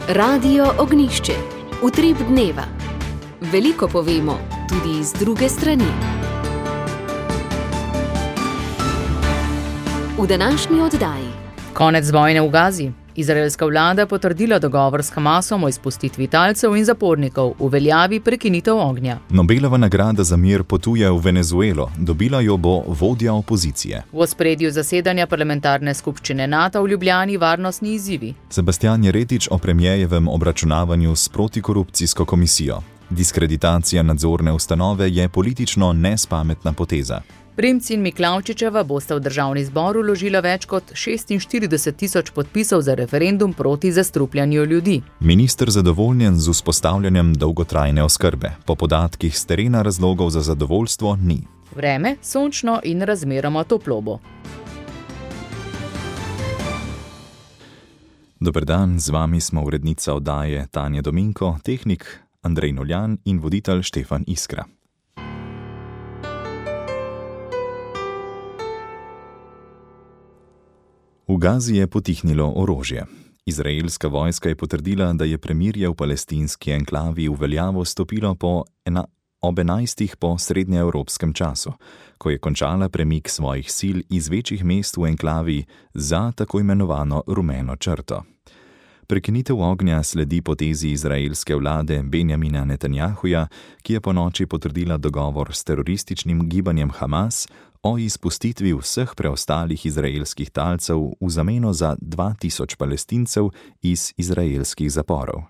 Radio Ognjišče. Utrip dneva. Veliko povemo, tudi iz druge strani. V današnji oddaji. Konec vojne v Gazi. Izraelska vlada potrdila dogovor s Hamasom o izpustitvi talcev in zapornikov, uveljavi prekinitev ognja. Nobelova nagrada za mir potuje v Venezuelo, dobila jo bo vodja opozicije. V ospredju zasedanja parlamentarne skupščine NATO v Ljubljani varnostni izzivi. Sebastian Jeretič o premierjevem obračunavanju s protikorupcijsko komisijo. Diskreditacija nadzorne ustanove je politično nespametna poteza. Primc in Miklavčičeva bosta v državni zbor vložila več kot 46.000 podpisov za referendum proti zastrupljanju ljudi. Minister zadovoljen z vzpostavljanjem dolgotrajne oskrbe. Po podatkih s terena razlogov za zadovoljstvo ni. Vreme sončno in razmeroma toplo bo. Dober dan, z vami smo urednica oddaje Tanja Dominko, tehnik Andrej Noljan in voditelj Štefan Iskra. V Gazi je potihnilo orožje. Izraelska vojska je potrdila, da je premirje v palestinski enklavi v veljavo stopilo ob 11. po srednjeevropskem času, ko je končala premik svojih sil iz večjih mest v enklavi za tako imenovano rumeno črto. Prekinitev ognja sledi potezi izraelske vlade Benjamina Netanjahuja, ki je ponoči potrdila dogovor s terorističnim gibanjem Hamas o izpustitvi vseh preostalih izraelskih talcev v zameno za 2000 Palestincev iz izraelskih zaporov.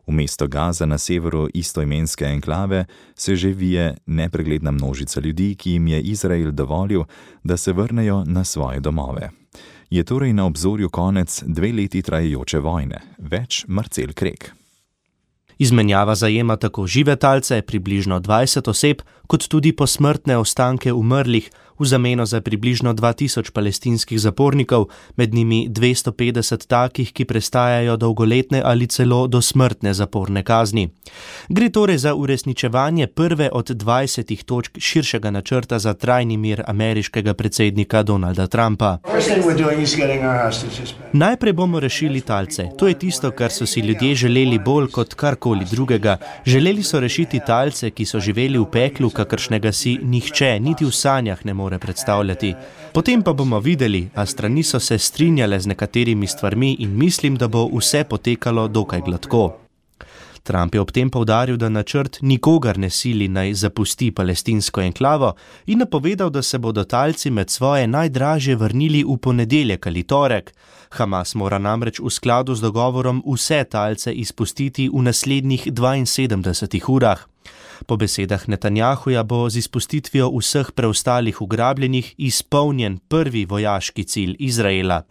V mesto Gaza na severu istoimenske enklave se že vije nepregledna množica ljudi, ki jim je Izrael dovolil, da se vrnejo na svoje domove. Je torej na obzorju konec 2 leti trajajoče vojne. Več Marcel Krek. Izmenjava zajema tako žive talce, približno 20 oseb, kot tudi posmrtne ostanke umrlih, v zameno za približno 2000 palestinskih zapornikov, med njimi 250 takih, ki prestajajo dolgoletne ali celo dosmrtne zaporne kazni. Gre torej za uresničevanje prve od 20 točk širšega načrta za trajni mir ameriškega predsednika Donalda Trumpa. Najprej bomo rešili talce. To je tisto, kar so si ljudje želeli bolj kot karkoli drugega. Želeli so rešiti talce, ki so živeli v peklu, kakršnega si nihče, niti v sanjah ne more predstavljati. Potem pa bomo videli, a strani so se strinjale z nekaterimi stvarmi in mislim, da bo vse potekalo dokaj gladko. Trump je ob tem poudaril, da načrt nikogar ne sili naj zapusti palestinsko enklavo in napovedal, da se bodo talci med svoje najdražje vrnili v ponedeljek ali torek. Hamas mora namreč v skladu z dogovorom vse talce izpustiti v naslednjih 72 urah. Po besedah Netanjahuja bo z izpustitvijo vseh preostalih ugrabljenih izpolnjen prvi vojaški cilj Izraela.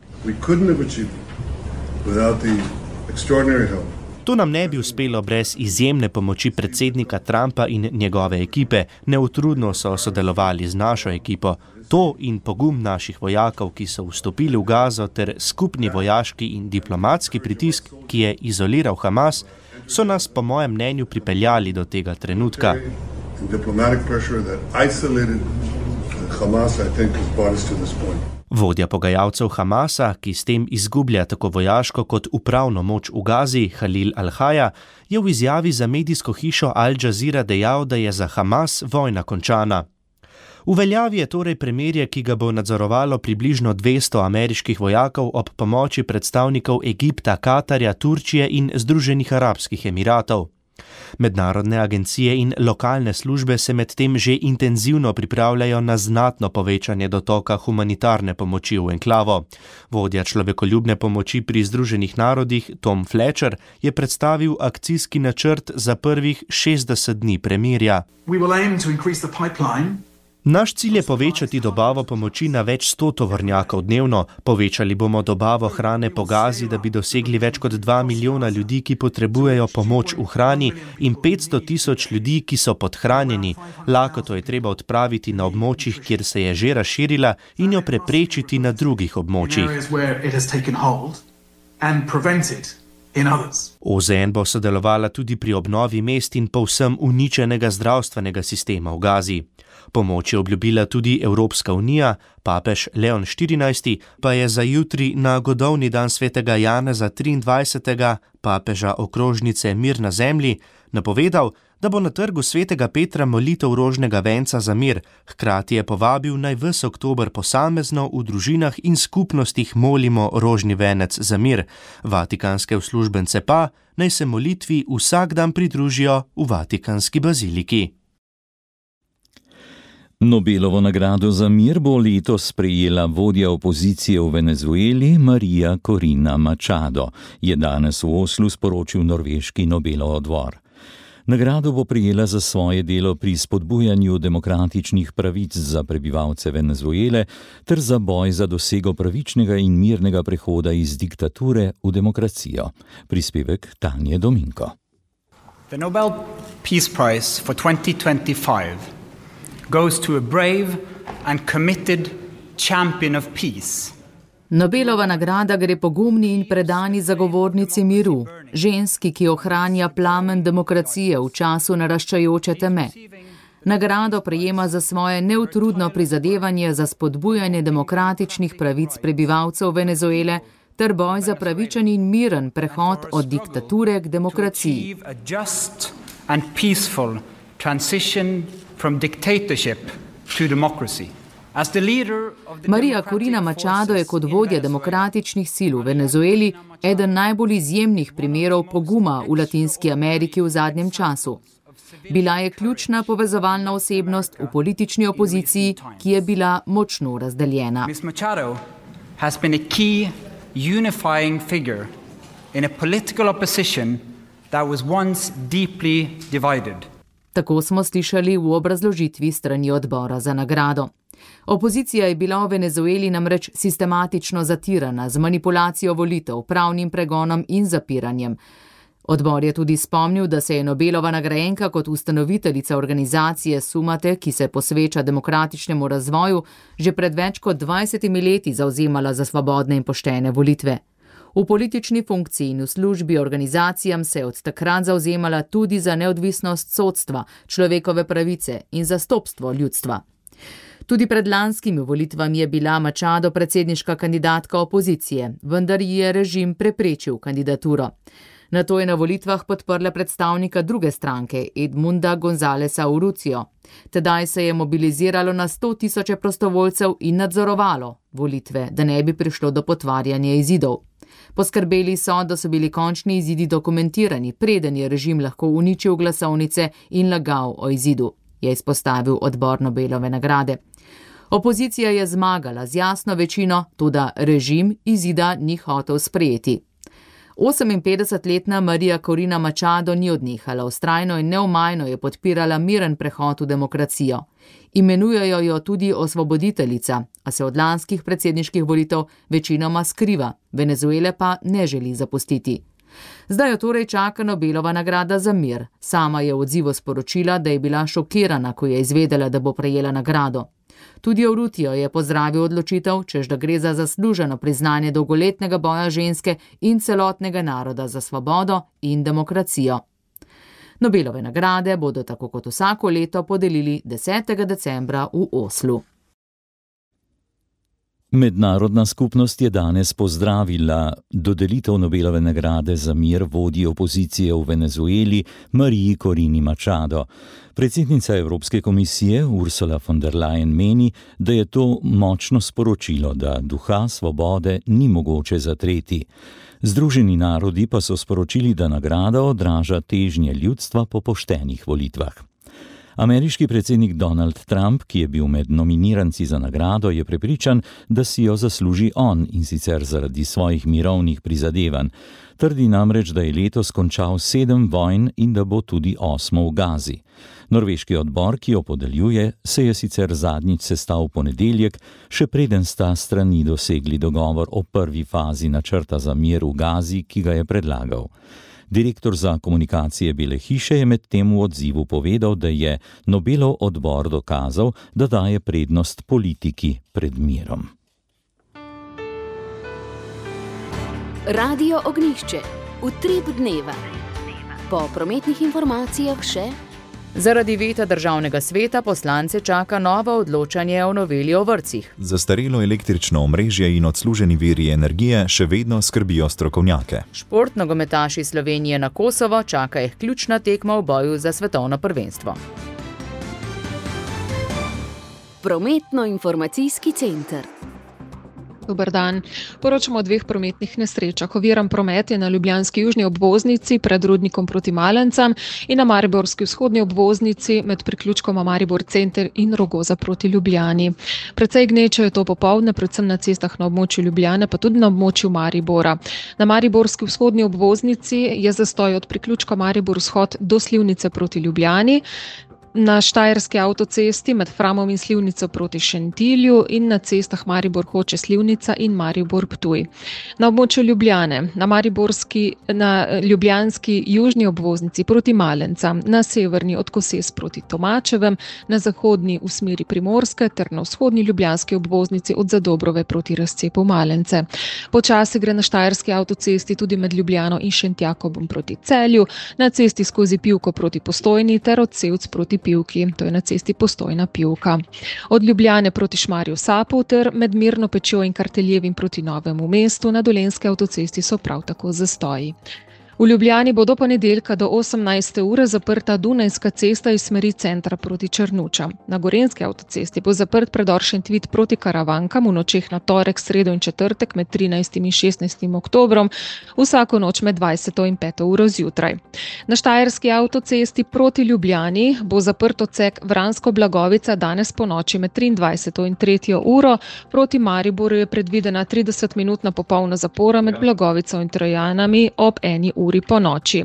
To nam ne bi uspelo brez izjemne pomoči predsednika Trumpa in njegove ekipe. Neutrudno so sodelovali z našo ekipo. To in pogum naših vojakov, ki so vstopili v Gazo, ter skupni vojaški in diplomatski pritisk, ki je izoliral Hamas, so nas po mojem mnenju pripeljali do tega trenutka. Vodja pogajalcev Hamasa, ki s tem izgublja tako vojaško kot upravno moč v Gazi, Halil Al-Haja, je v izjavi za medijsko hišo Al Jazeera dejal, da je za Hamas vojna končana. V veljavi je torej premirje, ki ga bo nadzorovalo približno 200 ameriških vojakov ob pomoči predstavnikov Egipta, Katarja, Turčije in Združenih arabskih emiratov. Mednarodne agencije in lokalne službe se medtem že intenzivno pripravljajo na znatno povečanje dotoka humanitarne pomoči v enklavo. Vodja človekoljubne pomoči pri Združenih narodih Tom Fletcher je predstavil akcijski načrt za prvih 60 dni premirja. Naš cilj je povečati dobavo pomoči na več 100 tovornjakov dnevno. Povečali bomo dobavo hrane po Gazi, da bi dosegli več kot 2 milijona ljudi, ki potrebujejo pomoč v hrani, in 500.000 ljudi, ki so podhranjeni. Lakoto je treba odpraviti na območjih, kjer se je že razširila, in jo preprečiti na drugih območjih. OZN bo sodelovala tudi pri obnovi mest in povsem uničenega zdravstvenega sistema v Gazi. Pomoč je obljubila tudi Evropska unija, papež Leon XIV pa je za jutri na godovni dan svetega Janeza 23. papeža okrožnice Mir na zemlji napovedal, da bo na trgu svetega Petra molitev rožnega venca za mir, hkrati je povabil naj ves oktober posamezno v družinah in skupnostih molimo rožni venec za mir. Vatikanske uslužbence pa naj se molitvi vsak dan pridružijo v Vatikanski baziliki. Nobelovo nagrado za mir bo letos prejela vodja opozicije v Venezueli Maria Corina Machado, je danes v Oslu sporočil norveški Nobelov odbor. Nagrado bo prejela za svoje delo pri spodbujanju demokratičnih pravic za prebivalce Venezuele ter za boj za dosego pravičnega in mirnega prehoda iz diktature v demokracijo. Prispevek Tanje Dominko. The Nobel Peace Prize for 2025 goes to a brave and committed champion of peace. Nobelova nagrada gre pogumni in predani zagovornici miru, ženski, ki ohranja plamen demokracije v času naraščajoče teme. Nagrado prejema za svoje neutrudno prizadevanje za spodbujanje demokratičnih pravic prebivalcev Venezuele ter boj za pravičen in miren prehod od diktature k demokraciji. Maria Corina Machado je kot vodja demokratičnih sil v Venezueli eden najbolj izjemnih primerov poguma v Latinski Ameriki v zadnjem času. Bila je ključna povezovalna osebnost v politični opoziciji, ki je bila močno razdeljena. Ms. Machado has been a key unifying figure in a political opposition that was once deeply divided. Tako smo slišali v obrazložitvi strani odbora za nagrado. Opozicija je bila v Venezueli namreč sistematično zatirana z manipulacijo volitev, pravnim pregonom in zapiranjem. Odbor je tudi spomnil, da se je Nobelova nagrajenka kot ustanoviteljica organizacije Sumate, ki se posveča demokratičnemu razvoju, že pred več kot 20 leti zavzemala za svobodne in poštene volitve. V politični funkciji in v službi organizacijam se je od takrat zavzemala tudi za neodvisnost sodstva, človekove pravice in zastopstvo ljudstva. Tudi pred lanskimi volitvami je bila Machado predsedniška kandidatka opozicije, vendar ji je režim preprečil kandidaturo. Nato je na volitvah podprla predstavnika druge stranke, Edmunda Gonzáleza Urrucio. Tedaj se je mobiliziralo na 100.000 prostovoljcev in nadzorovalo volitve, da ne bi prišlo do potvarjanja izidov. Poskrbeli so, da so bili končni izidi dokumentirani, preden je režim lahko uničil glasovnice in lagal o izidu, je izpostavil odbor Nobelove nagrade. Opozicija je zmagala z jasno večino, toda režim izida ni hotel sprejeti. 58-letna Maria Corina Machado ni odnehala, vztrajno in neomajno je podpirala miren prehod v demokracijo. Imenujejo jo tudi osvoboditeljica, a se od lanskih predsedniških volitev večinoma skriva, Venezuele pa ne želi zapustiti. Zdaj jo torej čaka Nobelova nagrada za mir. Sama je v odzivu sporočila, da je bila šokirana, ko je izvedela, da bo prejela nagrado. Tudi Urrucio je pozdravil odločitev, češ da gre za zasluženo priznanje dolgoletnega boja ženske in celotnega naroda za svobodo in demokracijo. Nobelove nagrade bodo tako kot vsako leto podelili 10. decembra v Oslu. Mednarodna skupnost je danes pozdravila dodelitev Nobelove nagrade za mir vodji opozicije v Venezueli Mariji Corini Machado. Predsednica Evropske komisije Ursula von der Leyen meni, da je to močno sporočilo, da duha svobode ni mogoče zatreti. Združeni narodi pa so sporočili, da nagrada odraža težnje ljudstva po poštenih volitvah. Ameriški predsednik Donald Trump, ki je bil med nominiranci za nagrado, je prepričan, da si jo zasluži on, in sicer zaradi svojih mirovnih prizadevanj. Trdi namreč, da je letos končal 7 vojn in da bo tudi 8 v Gazi. Norveški odbor, ki jo podeljuje, se je sicer zadnjič sestal v ponedeljek, še preden sta strani dosegli dogovor o prvi fazi načrta za mir v Gazi, ki ga je predlagal. Direktor za komunikacije Bele hiše je med tem v odzivu povedal, da je Nobelov odbor dokazal, da daje prednost politiki pred mirom. Radio Ognjišče. Utrip dneva. Po prometnih informacijah še: zaradi veta državnega sveta poslance čaka novo odločanje o noveli o vrtcih. Zastarelo električno omrežje in odsluženi viri energije še vedno skrbijo strokovnjake. Športnogometaši Slovenije na Kosovo čaka jih ključna tekma v boju za svetovno prvenstvo. Prometno-informacijski center. Dober dan. Poročamo o 2 prometnih nesrečah. Oviran promet je na ljubljanski južni obvoznici pred Rudnikom proti Malencam in na mariborski vzhodni obvoznici med priključkoma Maribor center in Rogoza proti Ljubljani. Precej gneče je to popoldne, predvsem na cestah na območju Ljubljane, pa tudi na območju Maribora. Na mariborski vzhodni obvoznici je zastoj od priključka Maribor vzhod do Slivnice proti Ljubljani. Na štajerski avtocesti med Framom in Slivnico proti Šentilju in na cestah Maribor Hoče Slivnica in Maribor Ptuj. Na območju Ljubljane, na ljubljanski južni obvoznici proti Malencam, na severni od Koses proti Tomačevem, na zahodni v smeri Primorske ter na vzhodni ljubljanski obvoznici od Zadobrove proti razcepu Malence. Počasi gre na štajerski avtocesti tudi med Ljubljano in Šentjakobom proti Celju, na cesti skozi Pivko proti Postojni ter od Sevc proti Pivki, to je na cesti Postojna Pivka. Od Ljubljane proti Šmarju Sapu ter med Mirno Pečjo in Karteljevim proti Novemu mestu na Dolenjski avtocesti so prav tako zastoji. V Ljubljani bo do ponedeljka do 18. ure zaprta Dunajska cesta iz smeri centra proti Črnučam. Na Gorenjski avtocesti bo zaprt predor Šentvid proti Karavankam v nočeh na torek, sredo in četrtek med 13. in 16. oktobrom, vsako noč med 20. in 5. uro zjutraj. Na štajerski avtocesti proti Ljubljani bo zaprt odsek Vransko-Blagovica danes po noči med 23. in 3. uro, proti Mariboru je predvidena 30-minutna popolna zapora med Blagovico in Trojanami ob 1. uri po noči.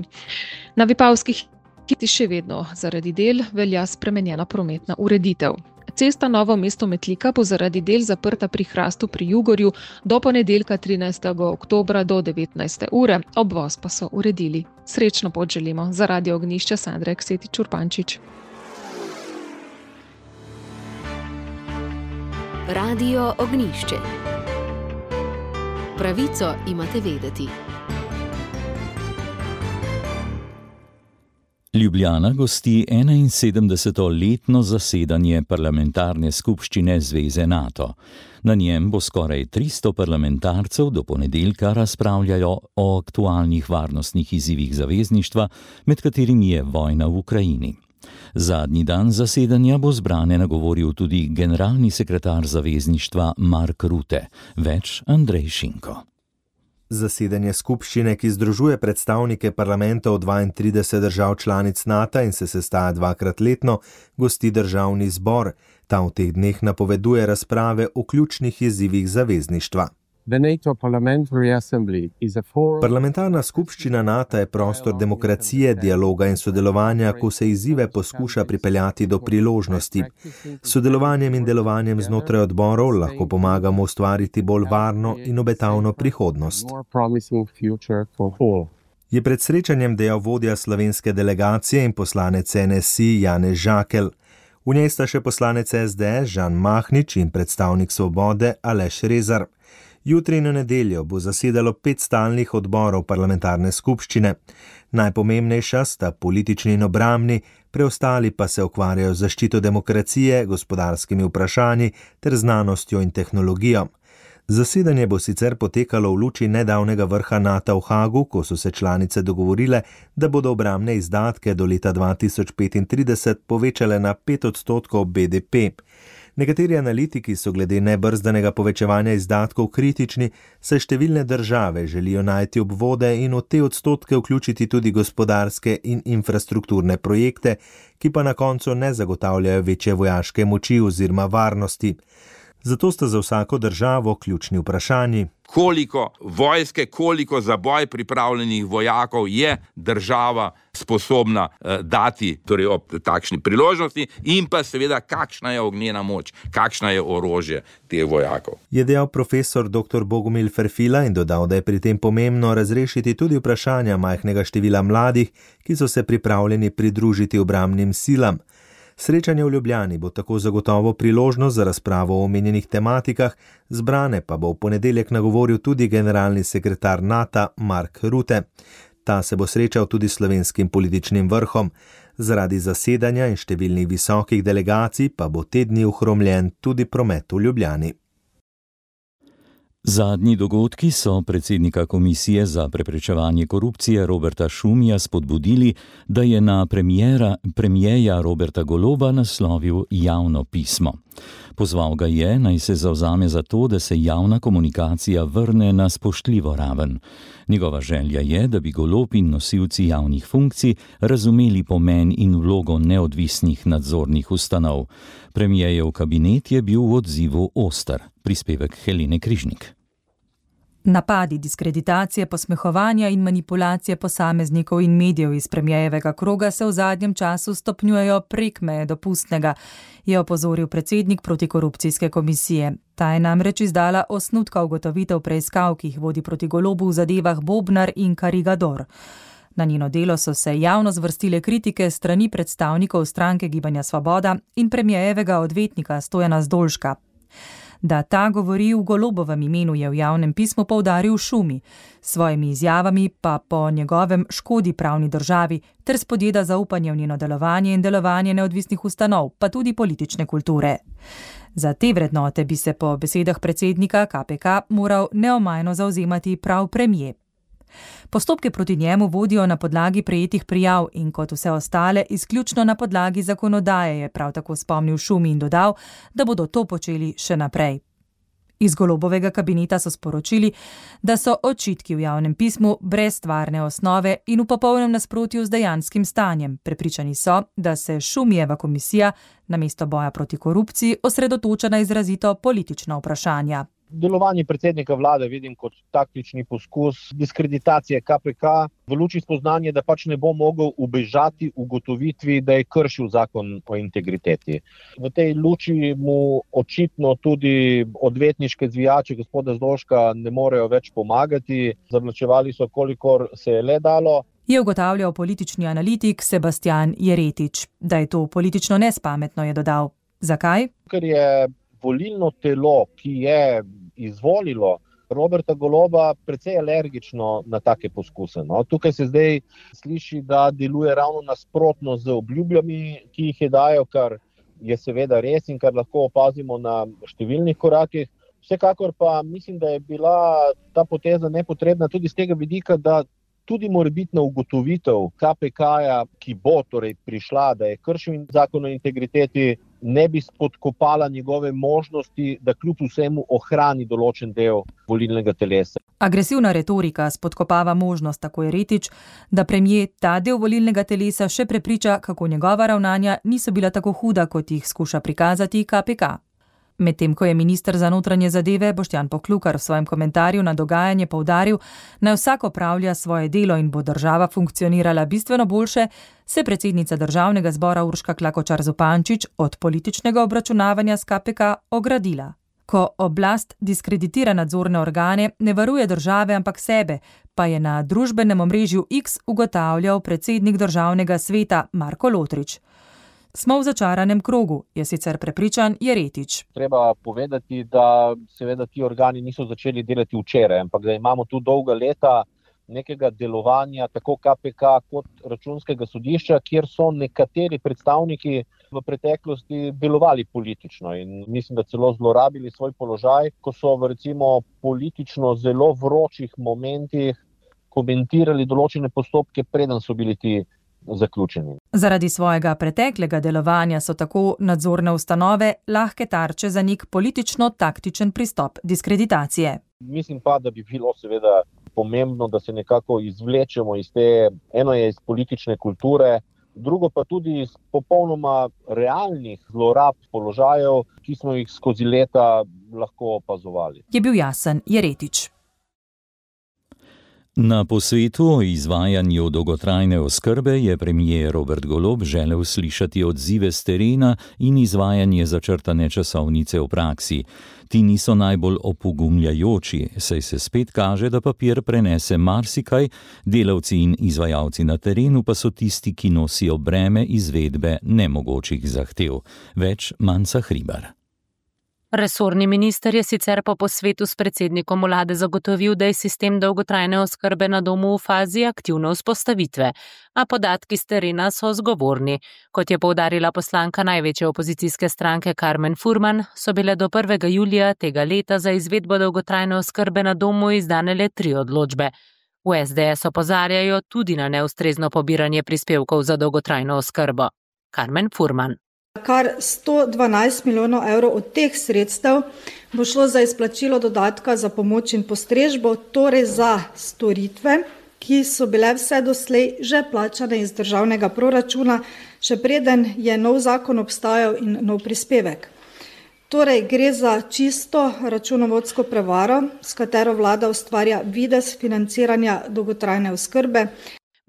Na Vipavskih hiti še vedno zaradi del velja spremenjena prometna ureditev. Cesta Novo mesto-Metlika bo zaradi del zaprta pri Hrastu pri Jugorju do ponedeljka 13. oktobra do 19. ure, obvoz pa so uredili. Srečno pot želimo. Za Radio Ognjišče Sandra Eksetič Urbančič. Radio Ognjišče. Pravico imate vedeti. Ljubljana gosti 71. letno zasedanje parlamentarne skupščine Zveze NATO. Na njem bo skoraj 300 parlamentarcev do ponedeljka razpravljajo o aktualnih varnostnih izzivih zavezništva, med katerimi je vojna v Ukrajini. Zadnji dan zasedanja bo zbrane nagovoril tudi generalni sekretar zavezništva Mark Rutte. Več Andrej Šinko. Zasedanje skupščine, ki združuje predstavnike parlamentov 32 držav članic NATO in se sestaja 2-krat letno, gosti državni zbor. Ta v teh dneh napoveduje razprave o ključnih izzivih zavezništva. Parlamentarna skupščina NATO je prostor demokracije, dialoga in sodelovanja, ko se izzive poskuša pripeljati do priložnosti. S sodelovanjem in delovanjem znotraj odborov lahko pomagamo ustvariti bolj varno in obetavno prihodnost. Je pred srečanjem dejal vodja slovenske delegacije in poslanec NSI Janez Žakelj. V njej sta še poslanec SDS Žan Mahnič in predstavnik Svobode Aleš Rezar. Jutri in v nedeljo bo zasedalo 5 stalnih odborov parlamentarne skupščine. Najpomembnejša sta politični in obrambni, preostali pa se ukvarjajo z zaščito demokracije, gospodarskimi vprašanji ter znanostjo in tehnologijo. Zasedanje bo sicer potekalo v luči nedavnega vrha NATO v Hagu, ko so se članice dogovorile, da bodo obrambne izdatke do leta 2035 povečale na 5% BDP. Nekateri analitiki so glede nebrzdanega povečevanja izdatkov kritični, saj številne države želijo najti obvode in v te odstotke vključiti tudi gospodarske in infrastrukturne projekte, ki pa na koncu ne zagotavljajo večje vojaške moči oziroma varnosti. Zato sta za vsako državo ključni vprašanji. Koliko vojske, koliko za boj pripravljenih vojakov je država sposobna dati, torej ob takšni priložnosti, in pa seveda kakšna je ognjena moč, kakšna je orožje teh vojakov. Je dejal profesor dr. Bogomil Ferfila in dodal, da je pri tem pomembno razrešiti tudi vprašanja majhnega števila mladih, ki so se pripravljeni pridružiti obrambnim silam. Srečanje v Ljubljani bo tako zagotovo priložnost za razpravo o omenjenih tematikah, zbrane pa bo v ponedeljek nagovoril tudi generalni sekretar NATO Mark Rutte. Ta se bo srečal tudi s slovenskim političnim vrhom. Zaradi zasedanja in številnih visokih delegacij pa bo te dni ohromljen tudi promet v Ljubljani. Zadnji dogodki so predsednika Komisije za preprečevanje korupcije Roberta Šumija spodbudili, da je na premierja Roberta Goloba naslovil javno pismo. Pozval ga je, naj se zavzame za to, da se javna komunikacija vrne na spoštljivo raven. Njegova želja je, da bi Golob in nosilci javnih funkcij razumeli pomen in vlogo neodvisnih nadzornih ustanov. Premierjev kabinet je bil v odzivu oster. Prispevek Helene Križnik. Napadi, diskreditacije, posmehovanja in manipulacije posameznikov in medijev iz premierjevega kroga se v zadnjem času stopnjujejo prek meje dopustnega, je opozoril predsednik protikorupcijske komisije. Ta je namreč izdala osnutka ugotovitev preiskav, ki jih vodi proti Golobu v zadevah Bobnar in Karigador. Na njeno delo so se javno zvrstile kritike strani predstavnikov stranke Gibanja Svoboda in premierjevega odvetnika Stojana Zdolška. Da ta govori v Golobovem imenu, je v javnem pismu poudaril Šumi, s svojimi izjavami pa po njegovem škodi pravni državi ter spodjeda zaupanje v njeno delovanje in delovanje neodvisnih ustanov, pa tudi politične kulture. Za te vrednote bi se po besedah predsednika KPK moral neomajno zavzemati prav premier. Postopke proti njemu vodijo na podlagi prejetih prijav in kot vse ostale izključno na podlagi zakonodaje, je prav tako spomnil Šumi in dodal, da bodo to počeli še naprej. Iz Golobovega kabineta so sporočili, da so očitki v javnem pismu brez stvarne osnove in v popolnem nasprotju z dejanskim stanjem. Prepričani so, da se Šumijeva komisija namesto boja proti korupciji osredotoča na izrazito politična vprašanja. Delovanje predsednika vlade vidim kot taktični poskus diskreditacije KPK v luči spoznanja, da pač ne bo mogel ubežati ugotovitvi, da je kršil zakon o integriteti. V tej luči mu očitno tudi odvetniške zvijače gospoda Zdolška ne morejo več pomagati. Zavlačevali so, kolikor se je le dalo. Je ugotavljal politični analitik Sebastian Jeretič. Da je to politično nespametno, je dodal. Zakaj? Ker je volilno telo, ki je izvolilo Roberta Goloba, precej alergično na take poskuse. No, tukaj se zdaj sliši, da deluje ravno nasprotno z obljubljami, ki jih je dajal, kar je seveda res in kar lahko opazimo na številnih korakih. Vsekakor pa mislim, da je bila ta poteza nepotrebna tudi z tega vidika, da tudi morebitna ugotovitev KPK-ja, ki bo torej prišla, da je kršil zakon o integriteti, ne bi spodkopala njegove možnosti, da kljub vsemu ohrani določen del volilnega telesa. Agresivna retorika spodkopava možnost, tako je Jeretič, da premier ta del volilnega telesa še prepriča, kako njegova ravnanja niso bila tako huda, kot jih skuša prikazati KPK. Medtem ko je minister za notranje zadeve Boštjan Poklukar v svojem komentarju na dogajanje poudaril, naj vsak opravlja svoje delo in bo država funkcionirala bistveno boljše, se predsednica državnega zbora Urška Klakočar Zupančič od političnega obračunavanja s KPK ogradila. Ko oblast diskreditira nadzorne organe, ne varuje države, ampak sebe, pa je na družbenem omrežju X ugotavljal predsednik državnega sveta Marko Lotrič. Smo v začaranem krogu, je sicer prepričan Jeretič. Treba povedati, da seveda ti organi niso začeli delati včeraj, ampak da imamo tu dolga leta nekega delovanja tako KPK kot Računskega sodišča, kjer so nekateri predstavniki v preteklosti delovali politično in mislim, da celo zlorabili svoj položaj, ko so v recimo politično zelo vročih momentih komentirali določene postopke, preden so bili ti zaključeni. Zaradi svojega preteklega delovanja so tako nadzorne ustanove lahke tarče za nek politično-taktičen pristop diskreditacije. Mislim pa, da bi bilo seveda pomembno, da se nekako izvlečemo iz te, eno je iz politične kulture, drugo pa tudi iz popolnoma realnih zlorab položajev, ki smo jih skozi leta lahko opazovali. Je bil jasen Jeretič. Na posvetu o izvajanju dolgotrajne oskrbe je premier Robert Golob želel slišati odzive s terena in izvajanje začrtane časovnice v praksi. Ti niso najbolj opogumljajoči, saj se spet kaže, da papir prenese marsikaj, delavci in izvajalci na terenu pa so tisti, ki nosijo breme izvedbe nemogočih zahtev. Več Manca Hribar. Resorni minister je sicer po posvetu s predsednikom vlade zagotovil, da je sistem dolgotrajne oskrbe na domu v fazi aktivne vzpostavitve, a podatki s terena so zgovorni. Kot je poudarila poslanka največje opozicijske stranke Karmen Furman, so bile do 1. julija tega leta za izvedbo dolgotrajne oskrbe na domu izdane le 3 odločbe. V SDS opozarjajo tudi na neustrezno pobiranje prispevkov za dolgotrajno oskrbo. Karmen Furman. Kar 112 milijonov evrov od teh sredstev bo šlo za izplačilo dodatka za pomoč in postrežbo, torej za storitve, ki so bile vse doslej že plačane iz državnega proračuna, še preden je nov zakon obstajal in nov prispevek. Torej gre za čisto računovodsko prevaro, s katero vlada ustvarja videz financiranja dolgotrajne oskrbe.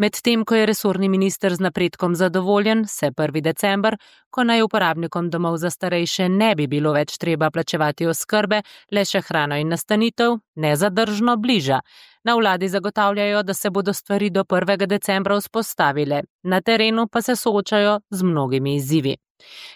Medtem, ko je resorni minister z napredkom zadovoljen, se 1. december, ko naj uporabnikom domov za starejše ne bi bilo več treba plačevati oskrbe, le še hrano in nastanitev, nezadržno bliža. Na vladi zagotavljajo, da se bodo stvari do 1. decembra vzpostavile, na terenu pa se soočajo z mnogimi izzivi.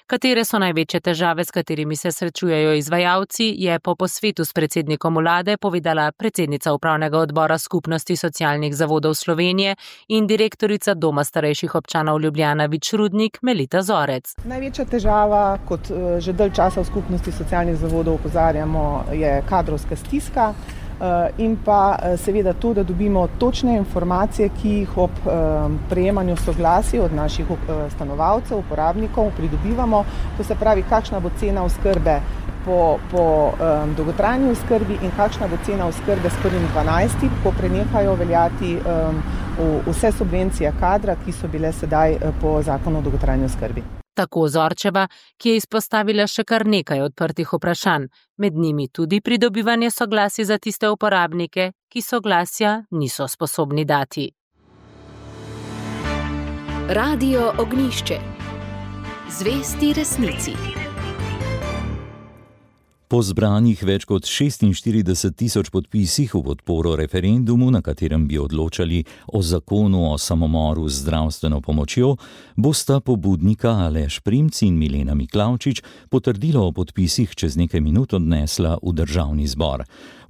Katere so največje težave, s katerimi se srečujejo izvajalci, je po posvetu s predsednikom vlade povedala predsednica upravnega odbora Skupnosti socialnih zavodov Slovenije in direktorica Doma starejših občanov Ljubljana Vič-Rudnik Melita Zorec. Največja težava, kot že dalj časa v Skupnosti socialnih zavodov opozarjamo, je kadrovska stiska. In pa seveda to, da dobimo točne informacije, ki jih ob prejemanju soglasij od naših stanovalcev, uporabnikov pridobivamo. To se pravi, kakšna bo cena oskrbe po dolgotrajni oskrbi in kakšna bo cena oskrbe s 1.12., ko prenehajo veljati vse subvencije kadra, ki so bile sedaj po zakonu o dolgotrajni oskrbi. Tako Zorčeva, ki je izpostavila še kar nekaj odprtih vprašanj, med njimi tudi pridobivanje soglasij za tiste uporabnike, ki soglasja niso sposobni dati. Radio Ognjišče. Zvesti resnici. Po zbranih več kot 46 tisoč podpisih v podporo referendumu, na katerem bi odločali o zakonu o samomoru z zdravstveno pomočjo, bosta pobudnika Aleš Primc in Milena Miklavčič potrdilo o podpisih čez nekaj minut odnesla v državni zbor.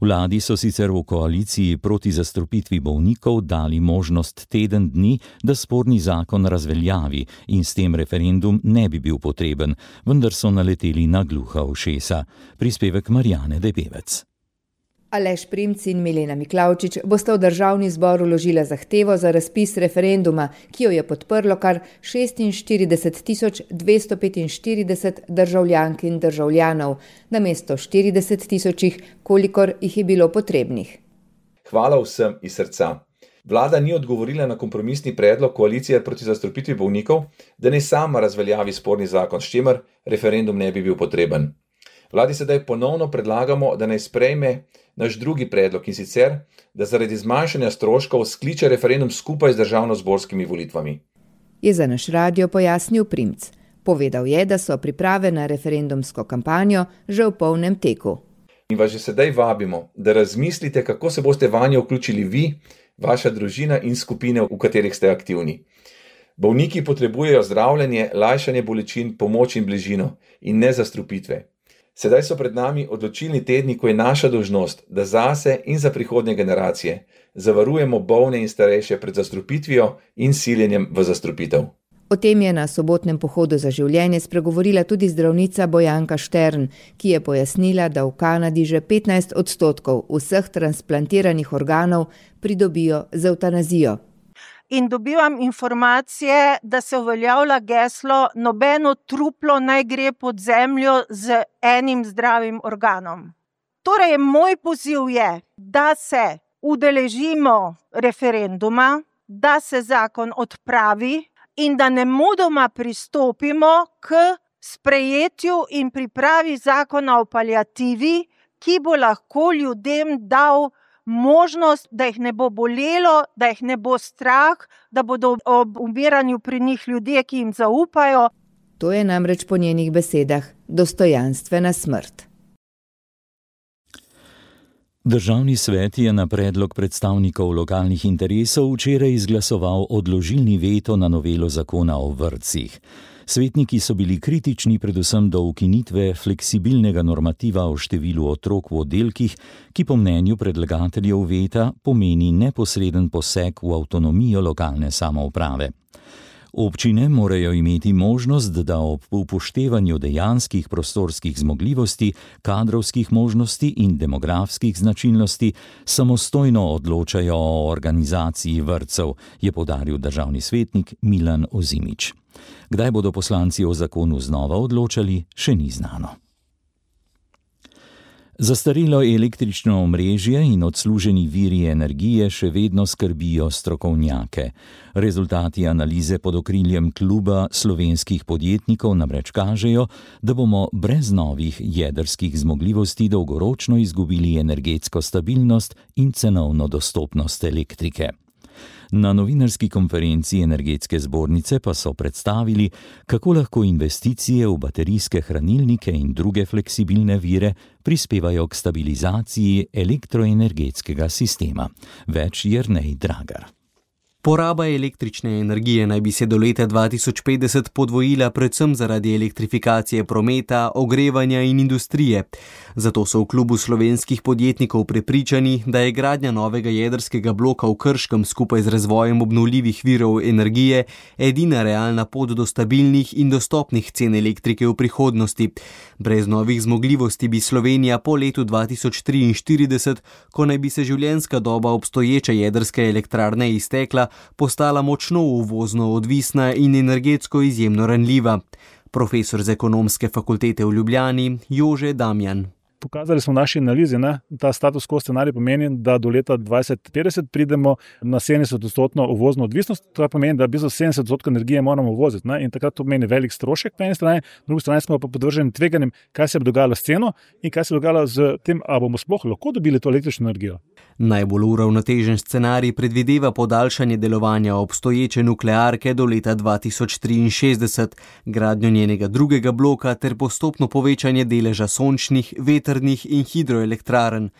Vladi so sicer v koaliciji proti zastrupitvi bolnikov dali možnost teden dni, da sporni zakon razveljavi in s tem referendum ne bi bil potreben, vendar so naleteli na gluha ušesa. Prispevek Marjane Debevec. Aleš Primc in Milena Miklavčič bosta v državni zbor vložila zahtevo za razpis referenduma, ki jo je podprlo kar 46 245 državljank in državljanov, namesto 40 tisočih, kolikor jih je bilo potrebnih. Hvala vsem iz srca. Vlada ni odgovorila na kompromisni predlog koalicije proti zastrupitvi bolnikov, da ne sama razveljavi sporni zakon, s čimer referendum ne bi bil potreben. Vladi sedaj ponovno predlagamo, da naj sprejme naš drugi predlog, in sicer, da zaradi zmanjšanja stroškov skliče referendum skupaj z državnozborskimi volitvami. Je za naš radio pojasnil Primc. Povedal je, da so priprave na referendumsko kampanjo že v polnem teku. In vas že sedaj vabimo, da razmislite, kako se boste vanjo vključili vi, vaša družina in skupine, v katerih ste aktivni. Bolniki potrebujejo zdravljenje, lajšanje bolečin, pomoč in bližino in ne zastrupitve. Sedaj so pred nami odločilni tedni, ko je naša dolžnost, da zase in za prihodnje generacije zavarujemo bolne in starejše pred zastrupitvijo in siljenjem v zastrupitev. O tem je na sobotnem pohodu za življenje spregovorila tudi zdravnica Bojanka Štern, ki je pojasnila, da v Kanadi že 15% vseh transplantiranih organov pridobijo z evtanazijo. In dobivam informacije, da se uveljavlja geslo nobeno truplo naj gre pod zemljo z enim zdravim organom. Torej, moj poziv je, da se udeležimo referenduma, da se zakon odpravi in da nemudoma pristopimo k sprejetju in pripravi zakona o paliativi, ki bo lahko ljudem dal možnost, da jih ne bo bolelo, da jih ne bo strah, da bodo ob umiranju pri njih ljudje, ki jim zaupajo. To je namreč po njenih besedah dostojanstvena smrt. Državni svet je na predlog predstavnikov lokalnih interesov včeraj izglasoval odložilni veto na novelo zakona o vrtcih. Svetniki so bili kritični predvsem do ukinitve fleksibilnega normativa o številu otrok v oddelkih, ki po mnenju predlagateljev veta pomeni neposreden poseg v avtonomijo lokalne samouprave. Občine morajo imeti možnost, da ob upoštevanju dejanskih prostorskih zmogljivosti, kadrovskih možnosti in demografskih značilnosti samostojno odločajo o organizaciji vrtcev, je poudaril državni svetnik Milan Ozimič. Kdaj bodo poslanci o zakonu znova odločali, še ni znano. Zastarelo električno omrežje in odsluženi viri energije še vedno skrbijo strokovnjake. Rezultati analize pod okriljem Kluba slovenskih podjetnikov namreč kažejo, da bomo brez novih jedrskih zmogljivosti dolgoročno izgubili energetsko stabilnost in cenovno dostopnost elektrike. Na novinarski konferenci Energetske zbornice pa so predstavili, kako lahko investicije v baterijske hranilnike in druge fleksibilne vire prispevajo k stabilizaciji elektroenergetskega sistema. Več Jernej Dragar. Poraba električne energije naj bi se do leta 2050 podvojila predvsem zaradi elektrifikacije prometa, ogrevanja in industrije. Zato so v Klubu slovenskih podjetnikov prepričani, da je gradnja novega jedrskega bloka v Krškem skupaj z razvojem obnovljivih virov energije edina realna pot do stabilnih in dostopnih cen elektrike v prihodnosti. Brez novih zmogljivosti bi Slovenija po letu 2043, ko naj bi se življenjska doba obstoječe jedrske elektrarne iztekla, postala močno uvozno odvisna in energetsko izjemno ranljiva. Profesor z Ekonomske fakultete v Ljubljani Jože Damjan. Pokazali smo v naši analizi, ta status quo scenarij pomeni, da do leta 2050 pridemo na 70% uvozno odvisnost. To pomeni, da 70% energije moramo uvoziti, in takrat to pomeni velik strošek po eni strani, po drugi strani smo pa podvrženi tveganjem, kaj se bo dogajalo s ceno in kaj se bo dogajalo z tem, a bomo sploh lahko dobili to električno energijo. Najbolj uravnotežen scenarij predvideva podaljšanje delovanja obstoječe nuklearke do leta 2063, gradnjo njenega drugega bloka ter postopno povečanje deleža sončnih, vetrnih in hidroelektrarn.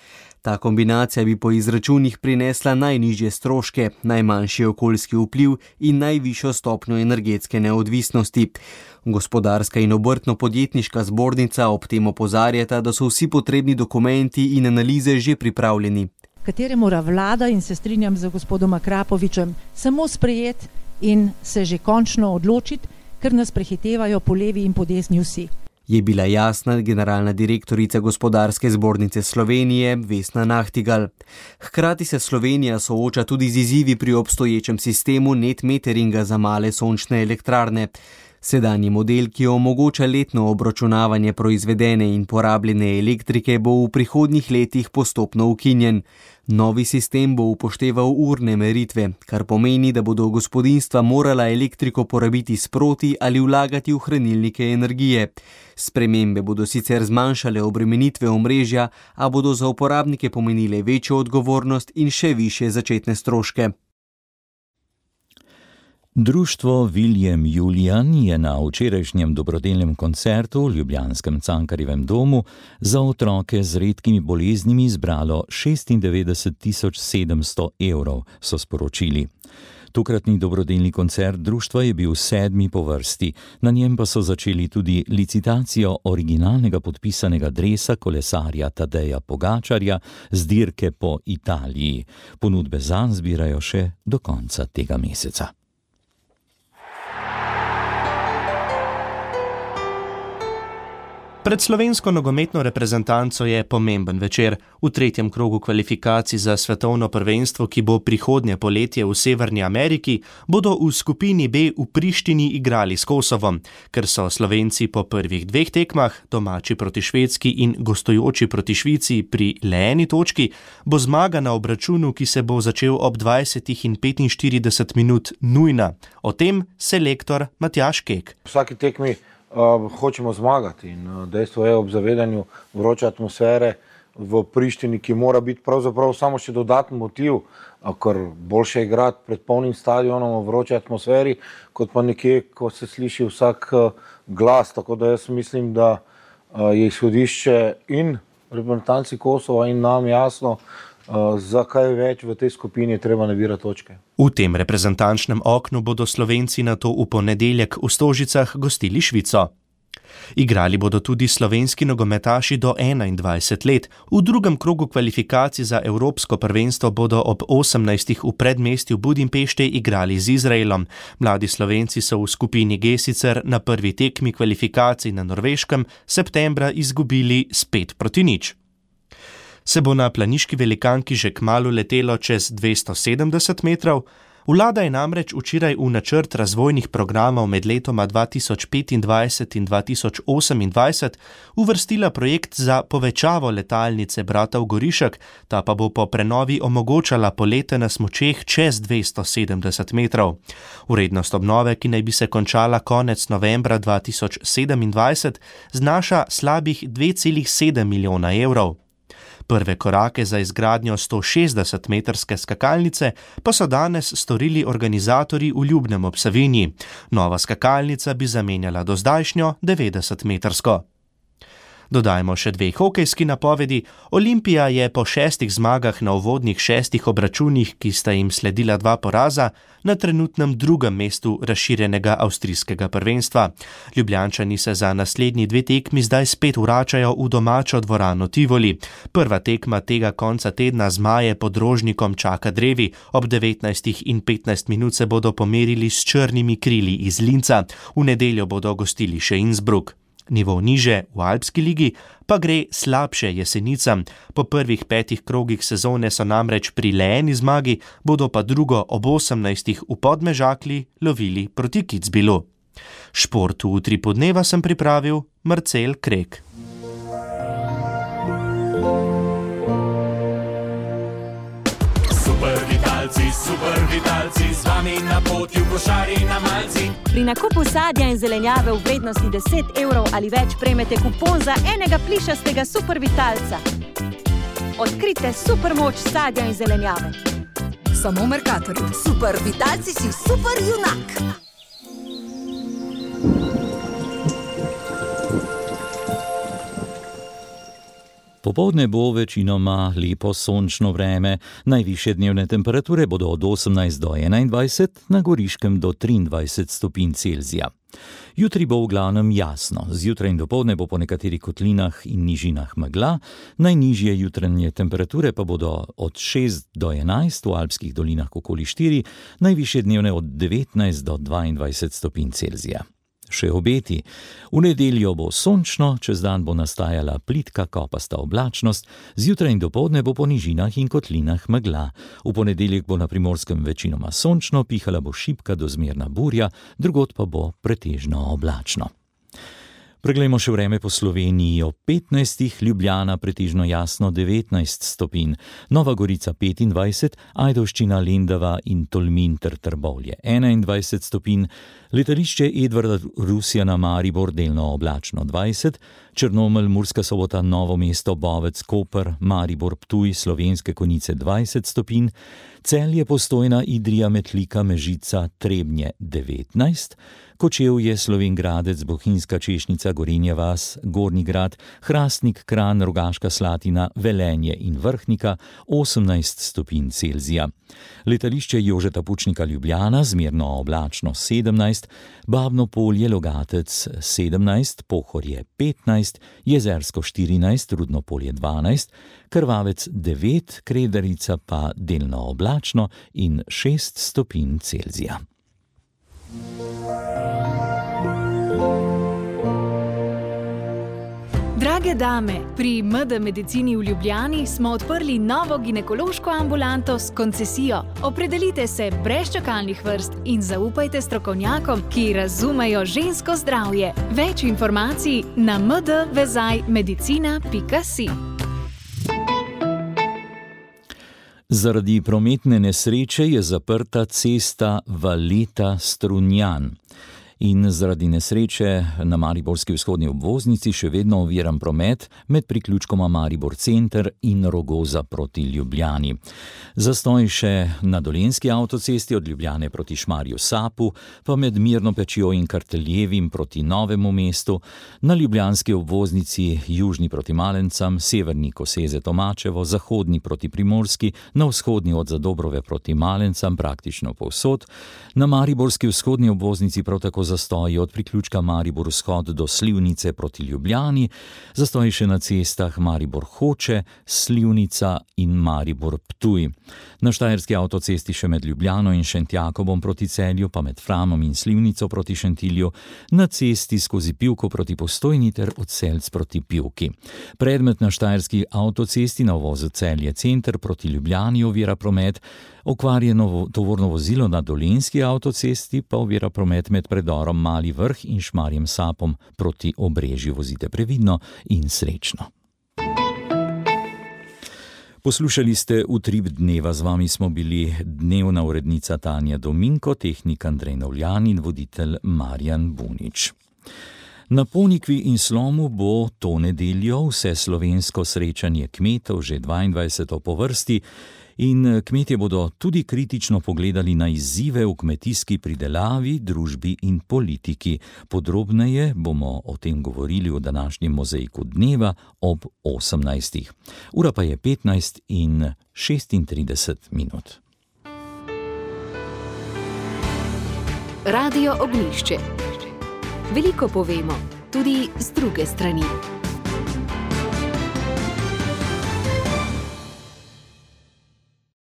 Ta kombinacija bi po izračunih prinesla najnižje stroške, najmanjši okoljski vpliv in najvišjo stopnjo energetske neodvisnosti. Gospodarska in obrtno-podjetniška zbornica ob tem opozarjata, da so vsi potrebni dokumenti in analize že pripravljeni. Katere mora vlada, in se strinjam z gospodom Akrapovičem, samo sprejeti in se že končno odločiti, ker nas prehitevajo po levi in po desni vsi. Je bila jasna generalna direktorica Gospodarske zbornice Slovenije Vesna Nahtigal. Hkrati se Slovenija sooča tudi z izzivi pri obstoječem sistemu net meteringa za male sončne elektrarne. Sedanji model, ki omogoča letno obračunavanje proizvedene in porabljene elektrike, bo v prihodnjih letih postopno ukinjen. Novi sistem bo upošteval urne meritve, kar pomeni, da bodo gospodinjstva morala elektriko porabiti sproti ali vlagati v hranilnike energije. Spremembe bodo sicer zmanjšale obremenitve omrežja, a bodo za uporabnike pomenile večjo odgovornost in še višje začetne stroške. Društvo Viljem Julijan je na včerajšnjem dobrodelnem koncertu v ljubljanskem Cankarjevem domu za otroke z redkimi boleznimi zbralo 96.700 evrov, so sporočili. Tokratni dobrodelni koncert društva je bil 7. po vrsti, na njem pa so začeli tudi licitacijo originalnega podpisanega dresa kolesarja Tadeja Pogačarja z dirke po Italiji. Ponudbe zanj zbirajo še do konca tega meseca. Pred slovensko nogometno reprezentanco je pomemben večer. V 3. krogu kvalifikacij za svetovno prvenstvo, ki bo prihodnje poletje v Severni Ameriki, bodo v skupini B v Prištini igrali s Kosovom. Ker so Slovenci po prvih 2 tekmah, domači proti Švedski in gostujoči proti Švici, pri le eni točki, bo zmaga na obračunu, ki se bo začel ob 20 in 45 minut, nujna. O tem selektor Matjaž Kek. Vsaki tekmi hočemo zmagati in dejstvo je ob zavedanju vroče atmosfere v Prištini, ki mora biti pravzaprav samo še dodatni motiv, ker boljše je igrati pred polnim stadionom v vroči atmosferi, kot pa nekje, ko se sliši vsak glas. Tako da jaz mislim, da je izhodišče in reprezentanci Kosova in nam jasno, za kaj več v tej skupini je treba nabirati točke. V tem reprezentančnem oknu bodo Slovenci nato v ponedeljek v Stožicah gostili Švico. Igrali bodo tudi slovenski nogometaši do 21 let. V drugem krogu kvalifikacij za Evropsko prvenstvo bodo ob 18. v predmestju Budimpešte igrali z Izraelom. Mladi Slovenci so v skupini G sicer na prvi tekmi kvalifikacij na Norveškem septembra izgubili s 5-0. Se bo na planiški velikanki že kmalu letelo čez 270 metrov? Vlada je namreč včeraj v načrt razvojnih programov med letoma 2025 in 2028 uvrstila projekt za povečavo letalnice Bratov Gorišek, ta pa bo po prenovi omogočala polete na smučeh čez 270 metrov. Vrednost obnove, ki naj bi se končala konec novembra 2027, znaša slabih 2,7 milijona evrov. Prve korake za izgradnjo 160-metrske skakalnice pa so danes storili organizatorji v Ljubnem ob Savinji. Nova skakalnica bi zamenjala dozdajšnjo 90-metrsko. Dodajmo še 2 hokejski napovedi. Olimpija je po 6 zmagah na uvodnih 6 obračunih, ki sta jim sledila 2 poraza, na trenutnem 2. mestu razširjenega avstrijskega prvenstva. Ljubljančani se za naslednji 2 tekmi zdaj spet vračajo v domačo dvorano Tivoli. Prva tekma tega konca tedna Zmaje pod Rožnikom čaka drevi. Ob 19:15 minut se bodo pomerili s Črnimi krili iz Linca. V nedeljo bodo gostili še Innsbruck. Nivo niže v Alpski ligi pa gre slabše Jesenicam. Po prvih 5 krogih sezone so namreč pri le eni zmagi, bodo pa drugo ob 18 v Podmežakli lovili proti Kitzbühelu. Šport v Utripu dneva sem pripravil Marcel Krek. Super vitalci, z vami na poti v košari na malci. Pri nakupu sadja in zelenjave v vrednosti 10 evrov ali več prejmete kupon za enega plišastega super vitalca. Odkrite super moč sadja in zelenjave. Samo v Mercatorju. Super vitalci si super junak. Popoldne bo večinoma lepo sončno vreme, najvišje dnevne temperature bodo od 18 do 21, na Goriškem do 23 stopinj Celzija. Jutri bo v glavnem jasno, zjutraj in dopoldne bo po nekaterih kotlinah in nižinah megla, najnižje jutranje temperature pa bodo od 6 do 11, v alpskih dolinah okoli 4, najvišje dnevne od 19 do 22 stopinj Celzija. Še obeti. V nedeljo bo sončno, čez dan bo nastajala plitka kopasta oblačnost, zjutraj in dopoldne bo po nižinah in kotlinah megla. V ponedeljek bo na Primorskem večinoma sončno, pihala bo šibka do zmerna burja, drugod pa bo pretežno oblačno. Preglejmo še vreme po Sloveniji. Ob 15, Ljubljana pretežno jasno 19 stopinj, Nova Gorica 25, Ajdovščina, Lendava in Tolmin ter Trbovlje 21 stopinj, letališče Edvarda Rusjana Maribor delno oblačno 20, Črnomelj, Murska Sobota, Novo mesto, Bovec, Koper, Maribor, Ptuj, Slovenske Konjice 20 stopinj, Celje, Postojna, Idrija, Metlika, Mežica, Trebnje 19, Kočevje, Slovenj Gradec, Bohinjska Češnica, Gorenja vas, Gornji Grad, Hrastnik, Kranj, Rogaška Slatina, Velenje in Vrhnika 18 stopinj Celzija. Letališče Jožeta Pučnika Ljubljana zmerno oblačno 17, Babno Polje, Logatec 17, Pohorje 15, Jezersko 14, Rudno Polje 12, Krvavec 9, Kredarica pa delno oblačno in 6 stopinj Celzija. Drage dame, pri MD Medicini v Ljubljani smo odprli novo ginekološko ambulanto s koncesijo. Opredelite se brez čakalnih vrst in zaupajte strokovnjakom, ki razumejo žensko zdravje. Več informacij na mdvezajmedicina.si. Zaradi prometne nesreče je zaprta cesta Valeta-Strunjan. In zaradi nesreče na mariborski vzhodni obvoznici še vedno oviran promet med priključkoma Maribor Center in Rogoza proti Ljubljani. Zastoj še na Dolenjski avtocesti od Ljubljane proti Šmarju Sapu, pa med Mirno Pečjo in Karteljevim proti Novemu mestu, na ljubljanski obvoznici južni proti Malencam, severni Koseze Tomačevo, zahodni proti Primorski, na vzhodni od Zadobrove proti Malencam, praktično povsod, na mariborski vzhodni obvoznici prav tako zastoji od priključka Maribor Vzhod do Slivnice proti Ljubljani, zastoji še na cestah Maribor Hoče, Slivnica in Maribor Ptuj. Na štajerski avtocesti še med Ljubljano in Šentjakobom proti Celju, pa med Framom in Slivnico proti Šentilju, na cesti skozi Pivko proti Postojni ter od Selc proti Pivki. Predmet na štajerski avtocesti na uvozu Celje Center proti Ljubljani ovira promet, okvarjeno tovorno vozilo na Dolenjski avtocesti pa ovira promet med predorom Mali Vrh in Šmarjem Sapom proti Obrežju. Vozite previdno in srečno. Poslušali ste Utrip dneva, z vami smo bili dnevna urednica Tanja Dominko, tehnik Andrej Novljan in voditelj Marjan Bunič. Na Ponikvi in Slomu bo to nedeljo vseslovensko srečanje kmetov, že 22. po vrsti, in kmetje bodo tudi kritično pogledali na izzive v kmetijski pridelavi, družbi in politiki. Podrobneje bomo o tem govorili v današnjem mozaiku dneva ob 18. Ura pa je 15:36. Radio Ognjišče. Veliko povemo, tudi z druge strani.